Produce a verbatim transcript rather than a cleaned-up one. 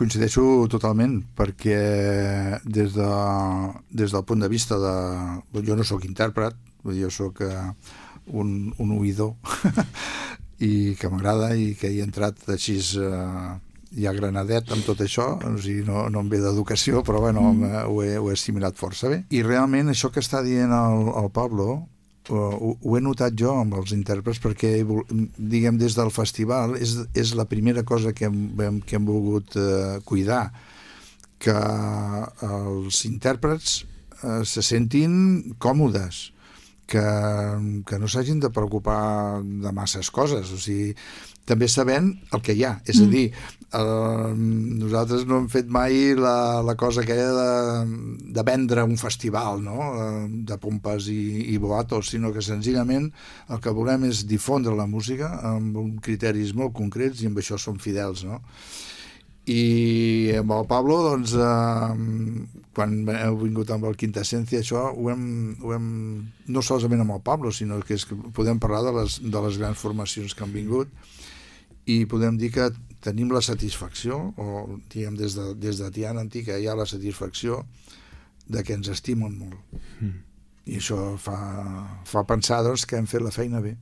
Coincideixo totalment, perquè des, de, des del punt de vista de... Jo no sóc intèrpret, jo sóc uh, un, un oïdor i que m'agrada i que he entrat així uh, ja granadet amb tot això, o sigui, no, no em ve d'educació, però bueno, mm. ho, he, ho he assimilat força bé. I realment això que està dient el, el Pablo, Uh, ho, ho he notat jo amb els intèrprets, perquè diguem des del festival és, és la primera cosa que hem, que hem volgut uh, cuidar, que els intèrprets uh, se sentin còmodes, que, que no s'hagin de preocupar de masses coses, o sigui, també sabent el que hi ha, és a dir, eh, nosaltres no hem fet mai la, la cosa aquella de, de vendre un festival, no? De pompes i, i boatos, sinó que senzillament el que volem és difondre la música amb uns criteris molt concrets i amb això som fidels, no? I amb el Pablo, doncs, eh, quan heu vingut amb el Quintaesencia, això ho hem, ho hem, no solament amb el Pablo, sinó que, és que podem parlar de les, de les grans formacions que han vingut, i podem dir que tenim la satisfacció, o diguem des de, des de Tiana Antica hi ha la satisfacció de que ens estimen molt. Mm. I això fa, fa pensar, doncs, que hem fet la feina bé.